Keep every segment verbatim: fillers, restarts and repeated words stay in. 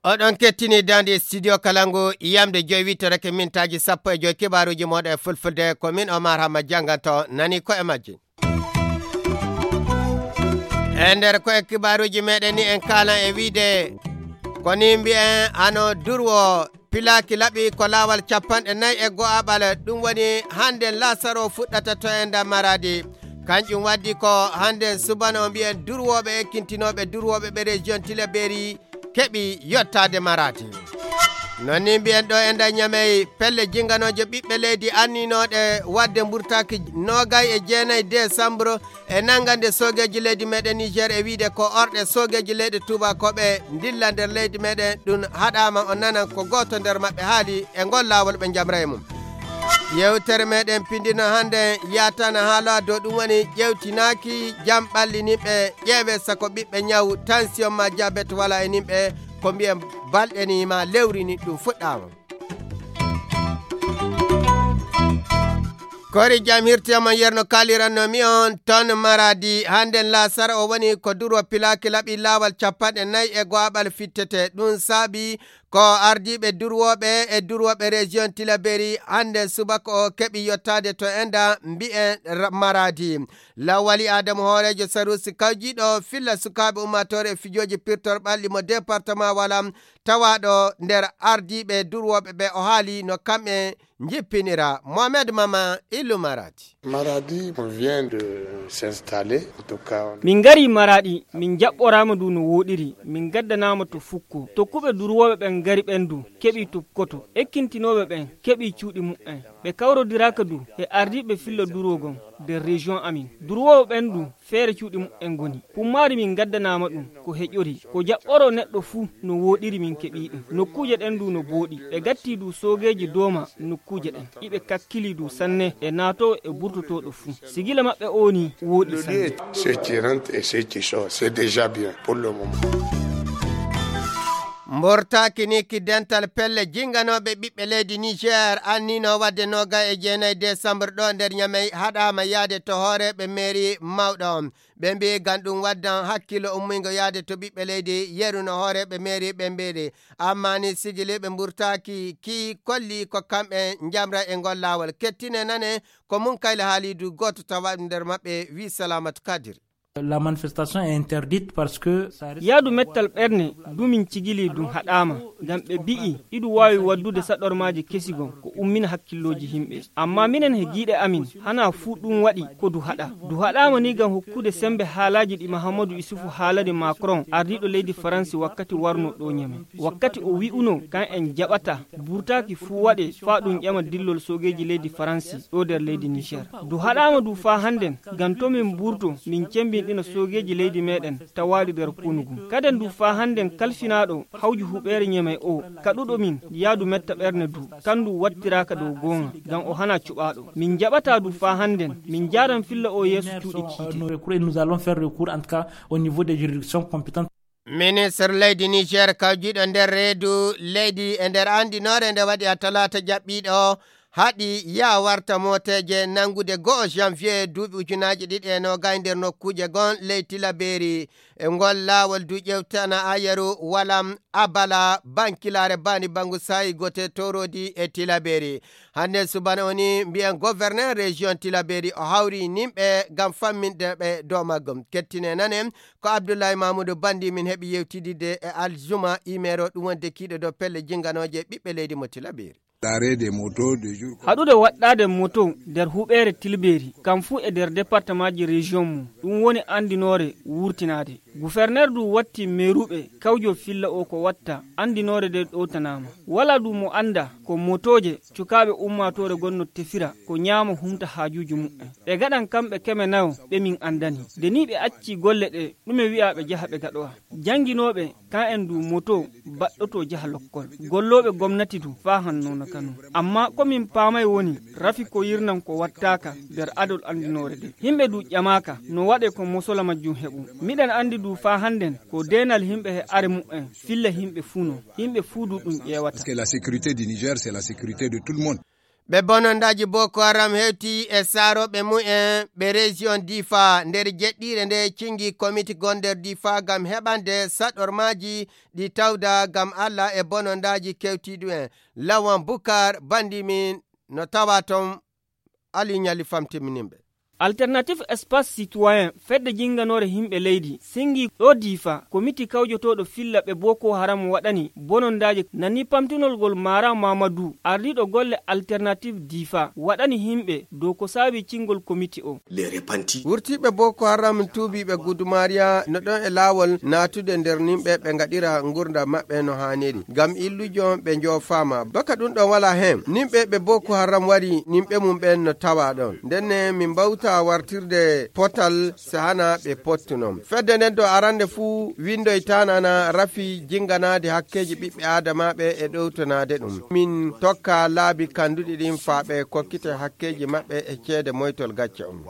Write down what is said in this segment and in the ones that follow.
Oɗon kettini daande studio Kalangu, yamde joyi wittorake mintaaji sappo e joyi kibaaruuji mooɗon e fulfulde. Ko min Omar Hamma jannganto nani ko e majji. E nder ko e kibaaruuji meɗen ni en kaalan e wiide ko ni mbiyen hano durwo pilaaki laɓi ko laawol capanɗe nayi e go'aɓal. Ɗum woni hannde laasaro fuɗɗata to e nder Maraadi. Kanƴum waddi ko hannde subano mbiyen durwooɓe ekkintinooɓe durwooɓe ɓe région Tilaberi keɓi yottaade Maraadi. Non ni mbiyen ɗo e nder Ñamey pelle jinganooje ɓiɓɓe leydi anninooɗe waɗde mburtaaki noogay e jeenayi décembre e nanngande soogeeji leydi meɗen Niger e wiide ko orɗe soogeeji leyɗe tuubakooɓe ndilla nder leydi meɗen ɗum haɗaama o nanan ko gooto nder maɓɓe haali e ngol laawol ɓe njamra e mum. Yewtere meɗen pindino hannde yatana haala dow ɗum woni ƴewtinaaki jam ɓalli nimɓe ƴeewe sako ɓiɓɓe ñaw tension ma jabet wala e nimɓe ko mbiyen balɗe ni ma lewri ni ɗum fuɗɗaama. Kori jam hirtiyama yerno kaliranno mi on ton Maradi hannde laasara o woni ko durwa pilaaki laɓi laawal capanɗe nayi e go'aɓal fittete ɗum saabi ko ardiiɓe durwooɓe e durwooɓe région Tilaberi hannde subaka o keɓi yottaade to enda mbi'en Maradi. Lawali Adamu hooreejo Sarusi kawjiiɗo filla sukaaɓe ummaatoore e fijooji pirtor ɓalli mo département Walam tawaaɗo nder ardiiɓe durwooɓe ɓe o haali no kamɓe njippinira. Mohamed Mama Illu Maradi. Maradi, on vient de s'installer. En tout cas, on Min ngari Maraɗi, min jaɓɓoraama ndu no wooɗiri, min ngaddanaama to fukko. Tokkuɓe durwooɓe ɓen ngari ɓen du, keɓi tupkoto. Ekkintinooɓe ɓen, keɓi cuuɗi muɓɓen. Ɓe kawrodiraaka du e ardiiɓe filla durwogol nder région amin. Durwooɓe ɓen du, feere cuuɗi muɓɓen ngoni. Pummaari min ngaddanaama ɗum, ko heƴori. Ko jaɓɓoroo neɗɗo fuu no wooɗiri min keɓii ɗum. Nokkuuje ɗen du no booɗi. Ɓe gatti du soogeeji dooma nokkuuje ɗen. Iɓe kakkili du sanne e naatoowo e burtotooɗo fuu. Sigila maɓɓe oo nii wooɗi sanne. Ceux qui rentrent et ceux qui sortent, c'est déjà bien pour le moment. Mbortaaki ni ki dental pelle jinganooɓe ɓiɓɓe leydi Niger annino wadde noga e jeenayi décembre ɗo nder Ñamey haɗaama yaade to hooreeɓe mairie mawɗo on. Ɓe mbiyi ngam ɗum waddan hakkillo ummingo yaade to ɓiɓɓe leydi yeru no hooreeɓe mairie ɓe mbiiri. Amma ni sigiliiɓe mburtaaki ki kolli ko kamɓe njamra e ngol laawol. Kettine nane ko Munkayla Haalidu gooto tawa nder maɓɓe wi Salamatu Kadiri. La manifestation est interdite parce que ça risque Yaadu mettal ɓerne dumin cigili dum haɗaama ngam ɓe bi'i idu waawi waddude saɗormaaji kesi gon ko ummina hakkillooji himɓe. Amma minen he giiɗe amin hana fuu ɗum waɗi ko du haɗa. Du haɗaama ni ngam hokkude sembe haalaaji ɗi Mahamadu Isufu haalani Macron ardiiɗo leydi Faransi wakkati warno ɗo Ñame. Wakkati o wi'uno kan en jaɓata burtaaki fuu waɗe faa ɗum ƴama dillol soogeeji leydi Faransi ɗo nder leydi Niger. Du haɗaama du faa hannden ngam to min mburto min cembinɗina soogeeji leydi meɗen tawaaɗi nder konu ngun. Kaden du faa hannden kalfinaaɗo hawju huɓeere Ñamey o kaɗuɗo min yaadu metta ɓerne du kan du wattiraaka dow goonga ngam o hana cuɓaaɗo. Min jaɓataa du faa hannden min njaaran filla o yeeso cuuɗi kiite. Nous allons faire recours en tout cas au niveau des juridictions compétentes. Ministre leydi Niger kawjiiɗo nder reedu leydi e nder anndinoore nde waɗi a talaata jaɓɓiiɗo haɗi yaa warta mooteeje nanngude go'o janvier duuɓi ujunaaji ɗiɗi e noogay nder nokkuuje gon ley Tilabeeri. E ngol laawol du ƴewtana ayeru walam abala bankilaare bani bangu saayi gote toroodi e Tilabeeri. Hannde subana o ni mbiyen gouverneur région Tilabeeri o hawri nimɓe ngam famminde ɓe dow maggum. Kettine nanen ko Abdullahi Mamudu Bandi min heɓi yewtididde e Aljuma Imero ɗum wonde kiiɗo dow pelle jinganooje ɓiɓɓe leydi mo Tilabeeri. Haɗude waɗɗaade moto nder huɓeere Tilbeeri kam fuu e nder departemaaji région mum ɗum woni anndinoore wurtinaade. Guferneer du watti meeruɓe kawjo filla o ko watta anndinoore nde ɗowtanaama. Walaa du mo annda ko motooje cukaaɓe ummaatoore gonno tefira ko ñaama humta haajuuji muɓɓen. Ɓe gaɗan kamɓe keme nayo ɓe min anndani. Nde nii ɓe accii golle ɗe ɗume wi'aa ɓe jaha ɓe gaɗowa. Jannginooɓe kan en du moto baɗɗoto jaha lokkol. Gollooɓe gomnati du faa hanno no kanu. Amma ko min paamay woni rafi ko yirnan ko wattaaka nder adol anndinoore nde. Yimɓe du ƴamaaka no waɗe ko mosola majjum heɓu. Miɗen anndi du faa hannden ko deenal yimɓe he are muɓɓen filla yimɓe fuu non. Yimɓe fuu du ɗum ƴeewata. Parce que la sécurité du Niger, c'est la sécurité de tout le monde. Ɓe bonondaaji Boko Haram hewti e saarooɓe mumen ɓe région Difa nder jeɗɗiire nde cingi komiti gon nder Difa ngam heɓande saɗormaaji ɗi tawda ngam Allah e bonondaaji kewtiiɗu en. Lawan Bukar, bandi min no tawa toon, Ali Ñali famtiminimɓe. Alternative Espace Citoyen, fedde jinnganoore yimɓe leydi, singi ɗo Difa, komiti kawjotooɗo filla ɓe Boko Haram waɗani bonondaaji nani pamtinol ngol Mara Mamadou, ardiiɗo golle Alternative Difa, waɗani yimɓe dow ko saabi cingol komiti o. Wurtiiɓe Boko Haram tuubiiɓe Gudumariya no ɗon e laawol naatude nder nimɓe ɓe ngaɗira ngurndan maɓɓe no haaniri. Ngam illujo ɓe njoofaama. Baka ɗum ɗon wala heen. Nimɓe ɓe Boko Haram wari nimɓe mum ɓen no tawa ɗon. Ndenne min mbawta wartirde potal sahana ɓe pottuno. Fedde nden do arande fuu windoytaana na rafi jinnganaade hakkeeji ɓiɓɓe aadamaaɓe e ɗowtanaade ɗum. Min tokka laabi kanduɗi ɗin faa ɓe kokkite hakkeeji maɓɓe e ceede moytol gacce on.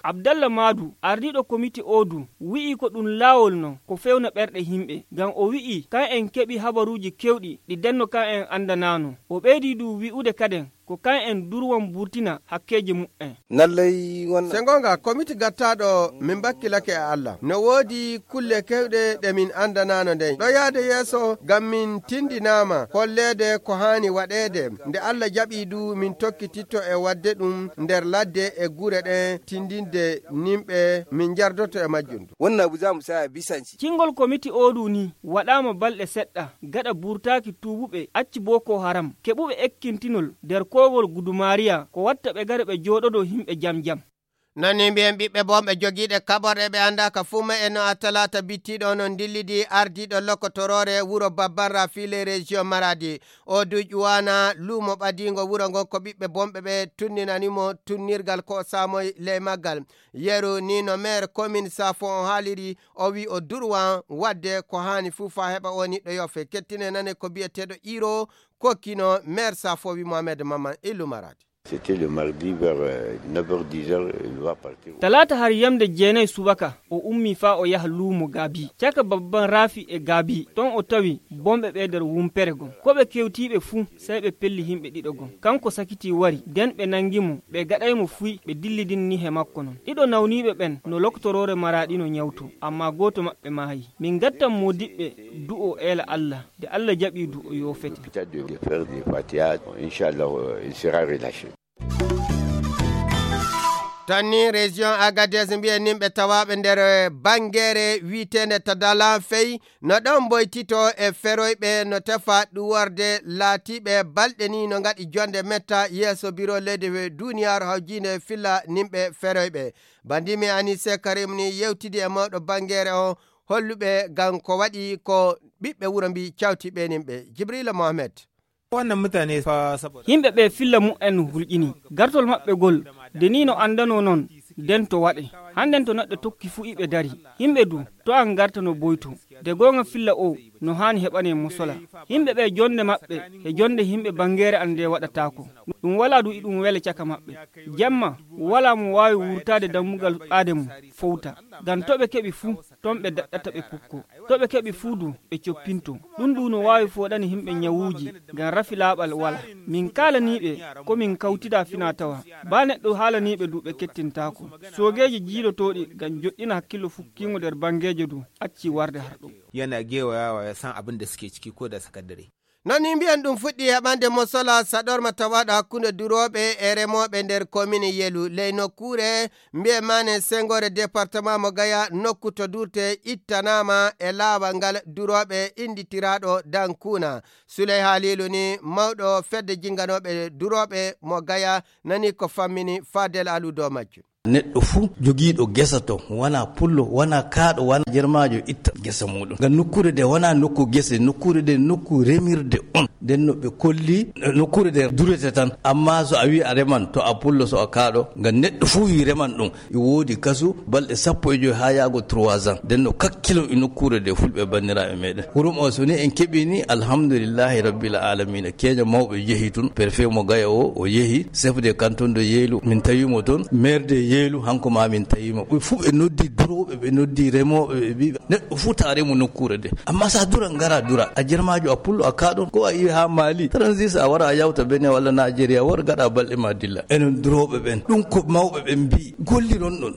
Abdallah Maadu, ardiiɗo komiti Odu, wi'i ko ɗum laawol non ko fewna ɓerɗe yimɓe. Ngam o wi'i kan en keɓi habaruuji kewɗi ɗi denno kan en andanaano. O ɓeydi du wi'ude kaden ko kan en durwan burtina hakkeeji mu'en. Nallay won. Se goonga, komiti gattaaɗo min bakkilake e Allah. No woodi kulle kewɗe ɗe min andanaano ndey. Ɗo yaade yeeso ngam min tindinaama holleede ko haani waɗeede. Nde Allah jaɓi du min tokkititto e waɗde ɗum nder ladde e gure ɗen tindinde nimɓe min njardoto e majjum. Wonna bu za mu saya bisanci. Cingol komiti Odu ni waɗaama balɗe seɗɗa gaɗa burtaaki tuubuɓe acci Boko Haram, keɓuɓe ekkintinol nder koogol Gudumariya, ko watta ɓe gara ɓe jooɗodoo yimɓe jam jam. Nani mbiyen ɓiɓɓe bonɓe jogiiɗe kaɓorɗe ɓe anndaaka fuu ma e no a talaata bittiiɗo no ndillidi ardiiɗo lokotoroore wuro Babban Rafi les régions Maradi. O duƴ wana luumo ɓadiingo wuro ngon ko ɓiɓɓe bonɓe ɓe tunninani mo tunnirgal ko o saamoy ley maggal. Yeru ni no maire commune Safo on haaliri, o wi o durwan wadde ko haani fuu faa heɓa o niɗɗo yoofe. Kettine nane ko biyeteeɗo Iro kokkino maire Safo wi Mohamed Maman Illu Maradi. C'était le mardi vers, euh, neuf heures, dix heures, il va partir. Talaata har yamde jeenay subaka, o ummi faa o yaha luumo Gaabi. Caka babban Raafi e Gaabi, ton o tawi bonɓe ɓe nder wumpere gon. Ko ɓe kewtiiɓe fuu, sey ɓe pelli yimɓe ɗiɗo gon. Kanko sakiti wari, den ɓe nangi mo, ɓe gaɗay mo fuy, ɓe dillidinni he makko non. Ɗiɗo nawniiɓe ɓen no loktoroore Maraɗi no nyawto, amma gooto maɓɓe maayi. Min ngattan moodiɓɓe du'o eela Allah. Nde Allah jaɓi du o yoofete. Hôpital de, de faire des Fatiha, Inch'Allah, euh, il sera relâché. Tan ni région Agadez mbiyen nimɓe tawaaɓe nder, eh, bangeere wi'eteende Tadala Fey no ɗon mboytito e feroyɓe no tefa ɗuworde laatiiɓe balɗe ni no ngaɗi jonde metta yeeso biro leydi he duniyaaru hawjiinde filla nimɓe feroyɓe. Bandimi Anise Karim ni yewtidi e mawɗo bangeere o holluɓe ngam ko waɗi ko ɓiɓɓe wuro mbi cawti ɓe nimɓe. Jibrila Mohamed. Wannan mutane fa saboda yimɓe ɓe filla mu'en hulƴini. Gartol maɓɓe gol, de ni no anndano non, den to waɗe. Hannden to neɗɗo tokki fu iɓe dari. Yimɓe du, to an garta no boyto. De goonga filla o, no haani heɓane mosola. Yimɓe ɓe jonde maɓɓe, he jonde yimɓe bangeere an nde waɗataako. Ɗum walaa du iɗum wele caka maɓɓe. Jemma, walaa mo waawi wurtaade dammugal ɓaade mum, fowta. Ngam to ɓe keɓi fu, ton ɓe daɗɗata ɓe pukko. To ɓe keɓi fuu du, ɓe coppinto. Ɗum ɗum no waawi fooɗani yimɓe nyawuuji, ngam rafi laaɓal wala. Min kaalanii ɓe, ko min kawtida fina tawa. Baa neɗɗo haalanii ɓe du, ɓe kettintaako. Soogeeji jiilotooɗi ngam joɗɗina hakkillo fukkiingo nder bangeejo du, acci warde har ɗum. Yana gewayawa ya san abin da suke ciki ko da sakandare. Non ni mbiyen ɗum fuɗɗi heɓande mo sola saɗorma tawaɗo hakkunde durooɓe e remooɓe nder komine Yelu. Ley nokkuure mbiyen maane sengoore département mo Gaya, nokku to durte ittanaama e laawal ngal durooɓe innditiraaɗo Dankuna. Suley Haliilu ni mawɗo fedde jinnganooɓe durooɓe mo Gaya nani ko fammini Fadel Alu dow majjum. Neɗɗo fuu jogiiɗo gesa to, wanaa pullo, wanaa kaaɗo, wanaa jermaajo itta gesa muuɗum. Ngam nokkuure nde wanaa nokku gese, nokkuure nde nokku remirde on. Nden no ɓe kolli, nokkuure nde durete tan. Ammaa so a wii a reman, to a pullo, so a kaaɗo, ngam neɗɗo fuu wii reman ɗum. E woodi kasu balɗe sappo e joy haa yaago trois ans. Nden no kakkilon e nokkuure nde fulɓe banniraaɓe meɗen. Hurum o so ni en keɓii ni, alhamdulillahi rabbil alamina. Keeño mawɓe jehi tun, préfet mo Gaya o, o yehi, chef de canton de Yeylu, min tawi mo ton, maire de Yeylu, hanko ma min tawi mo. Ɓe fuu ɓe noddi durooɓe, ɓe noddi remooɓe, ɓe mbi, neɗɗo fuu ta remo nokkuure de. Amma sa dura ngara dura, a jermaajo a pullo a kaaɗon, ko a iwi Haa Mali, transit a wara a yawta Benin walla Najeriya, wor gaɗa balɗe ma dilla. Enen durooɓe ɓen, ɗum ko mawɓe ɓen mbi'i, golliron ɗon.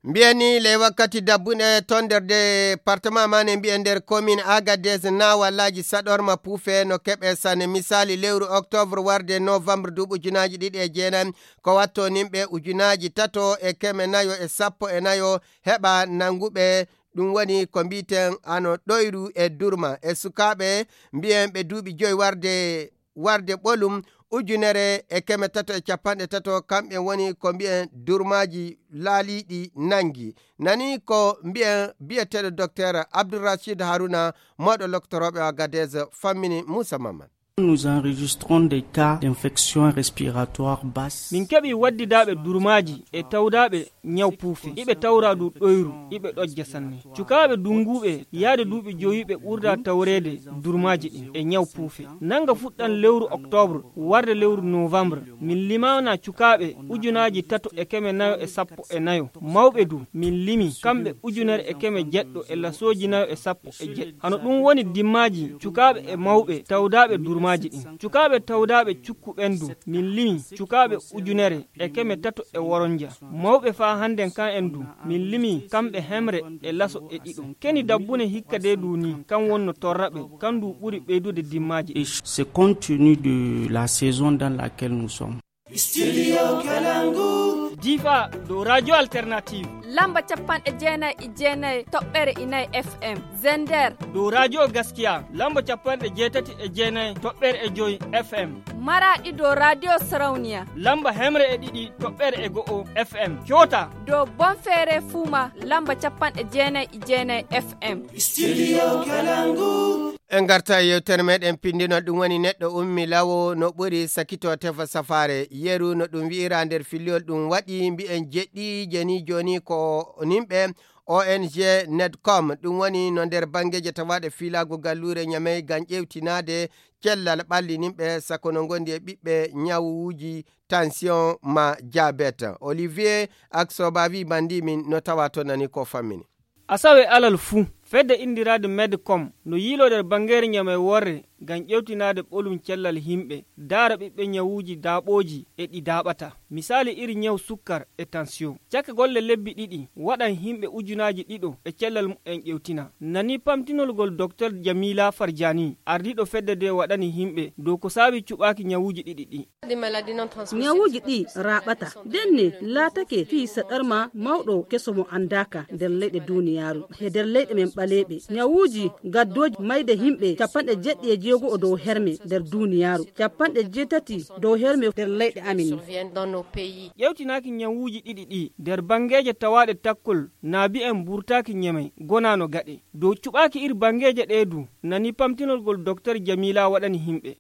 Mbiyani ley wakkati dabbunde ton nder département ma ne mbiyen nder commune Agadez na wallaaji saɗorma puufe no keɓe sanne. Misali lewru octobre warde novembre duuɓi ujunaaji ɗiɗi e jeenayi ko watto nimɓe ujunaaji tato e keme nayo e sappo e nayo heɓa nanguɓe. Ɗum woni ko mbiten ano ɗoyru e durma e sukaaɓe mbiyen ɓe duuɓi joyi warde warde ɓolum ujunere e keme tato e capanɗe tato, kamɓe woni ko mbiyen durmaaji laaliiɗi nangi. Nani ko mbiyen biyeteeɗo Docteur Abdourachid Haruna, mawɗo loktorooɓe o Agadez, fammini Moussa Maman. Nous enregistrons des cas d'infection respiratoire basse. Min keɓi waddidaaɓe durmaaji e tawdaaɓe ñaw puufe. Iɓe tawra du ɗoyru, iɓe ɗojja sanne. Cukaaɓe dunguuɓe yaade duuɓi joyi ɓe ɓurda tawreede durmaaji ɗin e ñaw puufe. Nanga fuɗɗan lewru octobre, warde lewru novembre, min limaana cukaaɓe ujunaaji tato e keme nayo e sappo e nayo. Mawɓe du, min limi kamɓe ujunere e keme jeɗɗo e lasooji nayo e sappo e jeɗɗo. Hano ɗum woni dimmaaji cukaaɓe e mawɓe tawdaaɓe durmaaji ɗin. Cukaaɓe tawdaaɓe cukku ɓen du, min limi cukaaɓe ujunere e keme tato e woronja. Mawɓe faa hannden kan en du, min limi kamɓe hemre e laso e ɗiɗo. Keni dabbune hikka de du ni, kan wonno torra ɓe, kan du ɓuri ɓeydude dimmaaji ɗin. Et c'est compte tenu de la saison dans laquelle nous sommes. Studio Kalangu. Difa dow Radio Alternative. Lamba capanɗe jeenayi e jeenayi toɓɓere inayi F M. Zender. Dow Radio Gaskiya. Lamba capanɗe jeetati e jeenayi toɓɓere e joyi F M. Maraɗi dow Radio Sarauniya. Lamba hemre e ɗiɗi toɓɓere e go'o F M. Coota. Dow Bonfere Fuma lamba capanɗe jeenayi e jeenayi F M. Studio Kalangu. En ngarta e yewtere meɗen pindinol, ɗum woni neɗɗo ummi lawo no ɓuri sakito tefa safaare. Yeru no ɗum wi'ira nder filliyol ɗum waɗi mbi'en jeɗɗi jeni joni ko nimɓe O N G Netcom. Ɗum woni no nder bangeeje tawaaɗe fiilaagu galluure Ñamey ngam ƴeewtinaade cellal ɓalli nimɓe sako no ngondi e ɓiɓɓe ñawuuji tension ma diabète. Olivier ak Sobavi Bandimin no tawa to nani ko fammini. Asawe alal fuu, fedde inndirade Medcom no yiiloo nder banngeere ñamey worre ngam ƴeewtinaade ɓolum cellal yimɓe, daara ɓiɓɓe ñawuuji daaɓooji e ɗi daaɓataa. Misaali iri ñaw sukkar e tension. Caka golle lebbi ɗiɗi, waɗan yimɓe ujunaaji ɗiɗo e cellal mumen ƴeewtinaa. Nani pamtinol ngol Doktor Jamila Farjani, ardiiɗo fedde nde waɗani yimɓe dow ko saabi cuɓaaki ñawuuji ɗiɗi ɗi. Ñawuuji ɗi raaɓata. Ndenne laatake fii saɗarma mawɗo keso mo anndaaka nder leyɗe duuniyaaru. He nder leyɗe men ɓaleeɓe, ñawuuji gaddooji mayde yimɓe capanɗe jeɗɗi e jeego'o dow herme nder duuniyaaru, capanɗe jeetati dow herme nder leyɗe amin. Ƴeewtinaaki ñawuuji ɗiɗi ɗi nder banngeeje tawaaɗe takkol naabi en mburtaaki ñamey gonaano gaɗe. Dow cuɓaaki iri banngeeje ɗee du, nani pamtinol ngol Doktor Jamila waɗani yimɓe.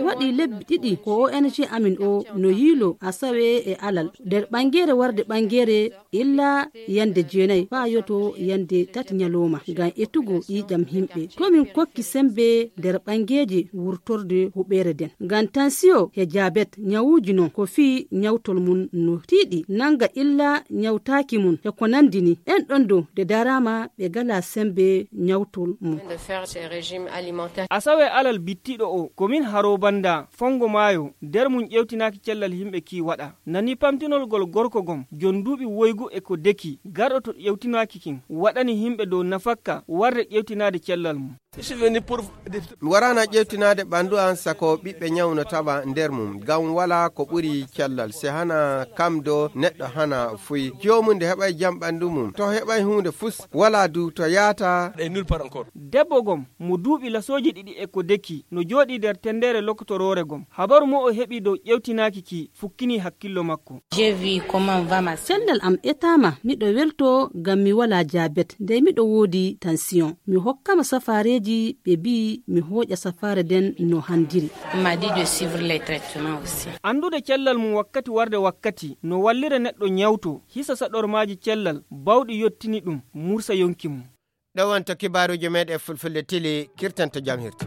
Waɗi lebbi ɗiɗi ko O N G amin o no yiilo asawe e alal nder ɓangeere warde ɓangeere illa yande jeenayi faa yoto yande tati ñalooma ngam etugo ƴiiƴam yimɓe. To min kokki sembe nder ɓangeeje wurtorde huɓeere nden. Ngam tansiyo he jabet ñawuuji non ko fii ñawtol mum no tiiɗi nanga illa ñawtaaki mum e ko nandi ni. Ɓen ɗon dow nde daraama ɓe ngalaa sembe ñawtol mum. Asawe alal bittiɗo o, komin Haro Banda, Fongo Maayo, nder mum ƴeewtinaaki cellal yimɓe kii waɗa. Nani pamtinol ngol gorko gom, jon duuɓi woygu e ko deki, garɗo to ƴeewtinaaki kin, waɗani yimɓe dow nafakka warde ƴeewtinaade cellal mum. Mi waraana ƴeewtinaade ɓanndu an sako ɓiɓɓe ñaw no tawa nder mum, ngam walaa ko ɓuri cellal. Se hana kam do neɗɗo hana fuy. Joomum nde heɓay jam ɓanndu mum. To heɓay huunde fus, walaa du to yaata. Debbo gom, mo duuɓi lasooji ɗiɗi e ko deki, no jooɗii nder tenndeere lokotoroore gom. Habaru mo o heɓi dow ƴeewtinaaki ki fukkinii hakkillo makko. Cellal am etaama, miɗo weltoo ngam mi walaa jabet, ndey miɗo woodi tansiyon. Mi hokkama safaareeji, ɓe mbi'i mi hooƴa safaare nden no handiri. Anndude cellal mum wakkati warde wakkati no wallira neɗɗo ñawto, hisa saɗormaaji cellal bawɗi yottini ɗum, mursa yonki mum. Ɗo wonto kibaaruuji meeɗen Fulfulde Tili kirtanto jam hirto.